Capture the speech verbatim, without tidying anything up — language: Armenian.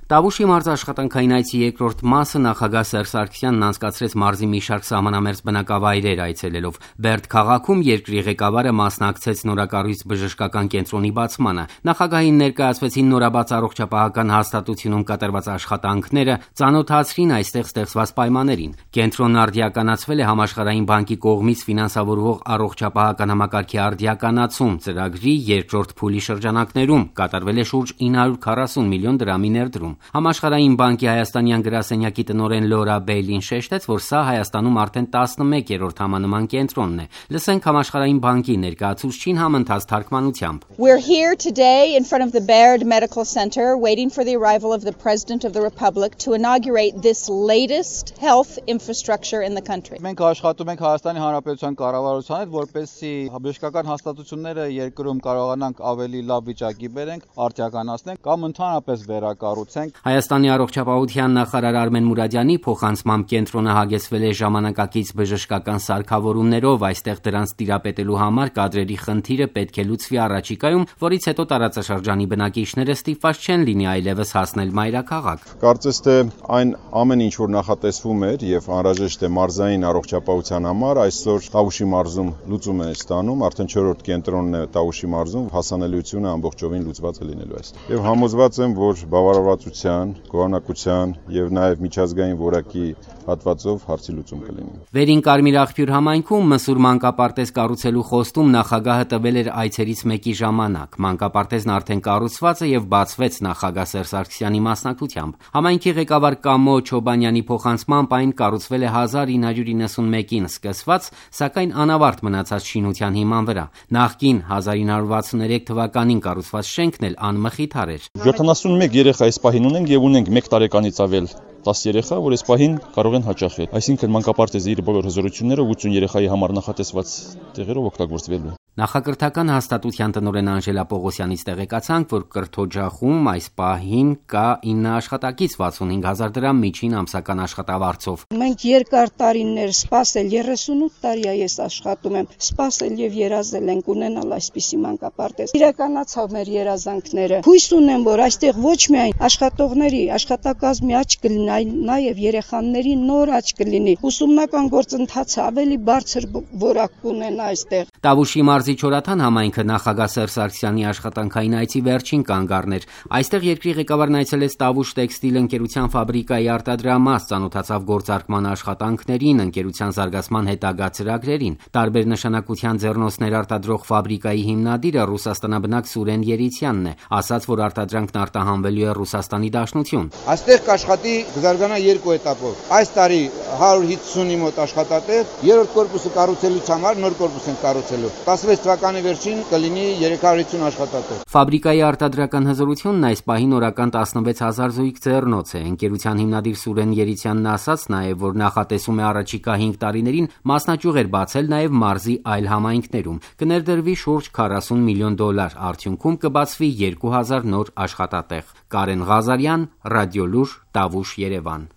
Տավուշի մարզ աշխատանքային այցի երկրորդ մասը նախագահ Սերժ Սարգսյանն անցկացրեց մարզի մի շարք սահմանամերձ բնակավայրեր այցելելով։ Բերդ քաղաքում երկրի ղեկավարը մասնակցեց նորակառույց բժշկական կենտրոնի բացմանը։ Նախագահին ներկայացվեցին նորաբաց առողջապահական հաստատությունում կատարված աշխատանքները, ծանոթացրին այստեղ ստեղծված պայմաններին։ Կենտրոնն արդիականացվել է Համաշխարհային բանկի կողմից ֆինանսավորվող առողջապահական համակարգի արդիականացում ծրագրի երկրորդ փուլի շրջանակներում կատարվել է շուրջ ինը հարյուր քառասուն միլիոն դրամի ներդրում։ Համաշխարհային բանկի հայաստանյան գրասենյակի տնօրեն Լորա Բեյլին շեշտեց, որ սա Հայաստանում արդեն տասնմեկերորդ համանման կենտրոնն է։ Լսենք Համաշխարհային բանկի ներկայացուցչին համընթաց թարգմանությամբ։ We're here today in front of the Baird Medical Center waiting for the arrival of the President of the Republic to inaugurate this latest health infrastructure in the country. Մենք աշխատում ենք Հայաստանի Հանրապետության կառավարության հետ, որպեսզի բժշկական հաստատությունները երկրում կարողանանք ավելի լավ վիճակի բերենք, արդիականացնենք կամ ընդհանրապես վերակառուցենք։ Հայաստանի առողջապահության նախարար Արմեն Մուրադյանի փոխանցմամբ կենտրոնը հագեցվել է ժամանակակից բժշկական սարքավորումներով, այստեղ դրանց տիրապետելու համար կադրերի խնդիրը պետք է լուծվի առաջիկայում, որից հետո տարածաշրջանի բնակիչները ստիպված չեն լինի այլևս հասնել մայրաքաղաք։ Կարծես թե այն ամեն ինչ որ նախատեսվում էր եւ անհրաժեշտ է մարզային առողջապահության համար, այսօր Տավուշի մարզում լուծում է ստանում, արդեն չորրորդ կենտրոնն է Տավուշի մարզում, հասանելիությունը ամբողջովին լուծված է լինելու այստեղ։ Եվ համոզված եմ, որ բավարարվածության, գոհունակության եւ նաեւ միջազգային որակի հատվածով հարցի լուծում կլինի։ Վերին Կարմիր աղբյուր համայնքում մսուր մանկապարտեզ կառուցելու խոստում նախագահը տվել էր այցերից մեկի ժամանակ։ Մանկապարտեզն արդեն կառուցված է եւ բացվեց նախագահ Սերժ Սարգսյանի մասնակցությամբ։ Համայնքի ղեկավար Կամո Չոբանյանի փոխանցմամբ այն կառուցվել է հազար ինը հարյուր իննսունմեկին սկսված, սակայն անավարտ մնացած շինության հիման վրա։ Նախկին հազար ինը հարյուր վաթսուներեք թվականին կառուցված շենքն էլ անմխիթար էր։ յոթանասունմեկ երեխա այս պահին ունենք եւ ունենք մեկ տարեկանից ավել տասը երեխա, որ այս պահին կարող են հաճախել։ Այսինքն մանկապարտեզը իր բոլոր հզորություններով ութսուն երեխայի համար նախատեսված տեղերով օգտագործվելու է։ Նախակրթական հաստատության տնօրեն Անժելա Պողոսյանից տեղեկացանք, որ կրթօջախում այս պահին կա ինը աշխատակից վաթսունհինգ հազար դրամ միջին ամսական աշխատավարձով։ Մենք երկար տարիներ սպասել, երեսունութ տարի է ես աշխատում եմ, սպասել եւ երազել ենք ունենալ այսպիսի մանկապարտեզ։ Իրականացավ մեր երազանքները։ Հույս ունեմ, որ այստեղ ոչ միայն աշխատողների, աշխատակազմի աճ կլինի, նաեւ երեխաների նոր աճ կլինի։ Ուսումնական գործընթացը ավելի բարձր որակ կունենա այստեղ։ Տավուշի մարզի Չորաթան համայնքը նախագահ Սերժ Սարգսյանի աշխատանքային այցի վերջին կանգառն էր։ Այստեղ երկրի ղեկավարն այցելեց Տավուշ տեքստիլ ընկերության ֆաբրիկայի արտադրամաս, ծանոթացավ գործարկման աշխատանքներին, ընկերության զարգացման հետագա ծրագրերին։ Տարբեր նշանակության ձեռնոցներ արտադրող ֆաբրիկայի հիմնադիրը ռուսաստանաբնակ Սուրեն Երիցյանն է, ասաց, որ արտադրանքն արտահանվելու է Ռուսաստանի Դաշնություն։ Այստեղ կաշխատի կզարգանա երկու էտապով։ Այս տարի հարյուր հիսունի մոտ աշխատատեղ, երրորդ կորպուսը կառուցելուց համար նոր կորպուս են կառուցելու։ տասնվեց թվականի վերջին կլինի երեք հարյուր հիսուն աշխատատեղ։ Ֆաբրիկայի արտադրական հզորությունն այս պահին օրական տասնվեց հազար զույգ ձեռնոց է։ Ընկերության հիմնադիր Սուրեն Երիցյանն ասաց նաև, որ նախատեսում է առաջիկա հինգ տարիներին մասնաճյուղեր բացել նաև մարզի այլ համայնքներում։ Կներդրվի շուրջ քառասուն միլիոն դոլար, արդյունքում կբացվի երկու հազար նոր աշխատատեղ։ Կարեն Ղազարյան, Ռադիոլուր, Տավուշ, Երևան։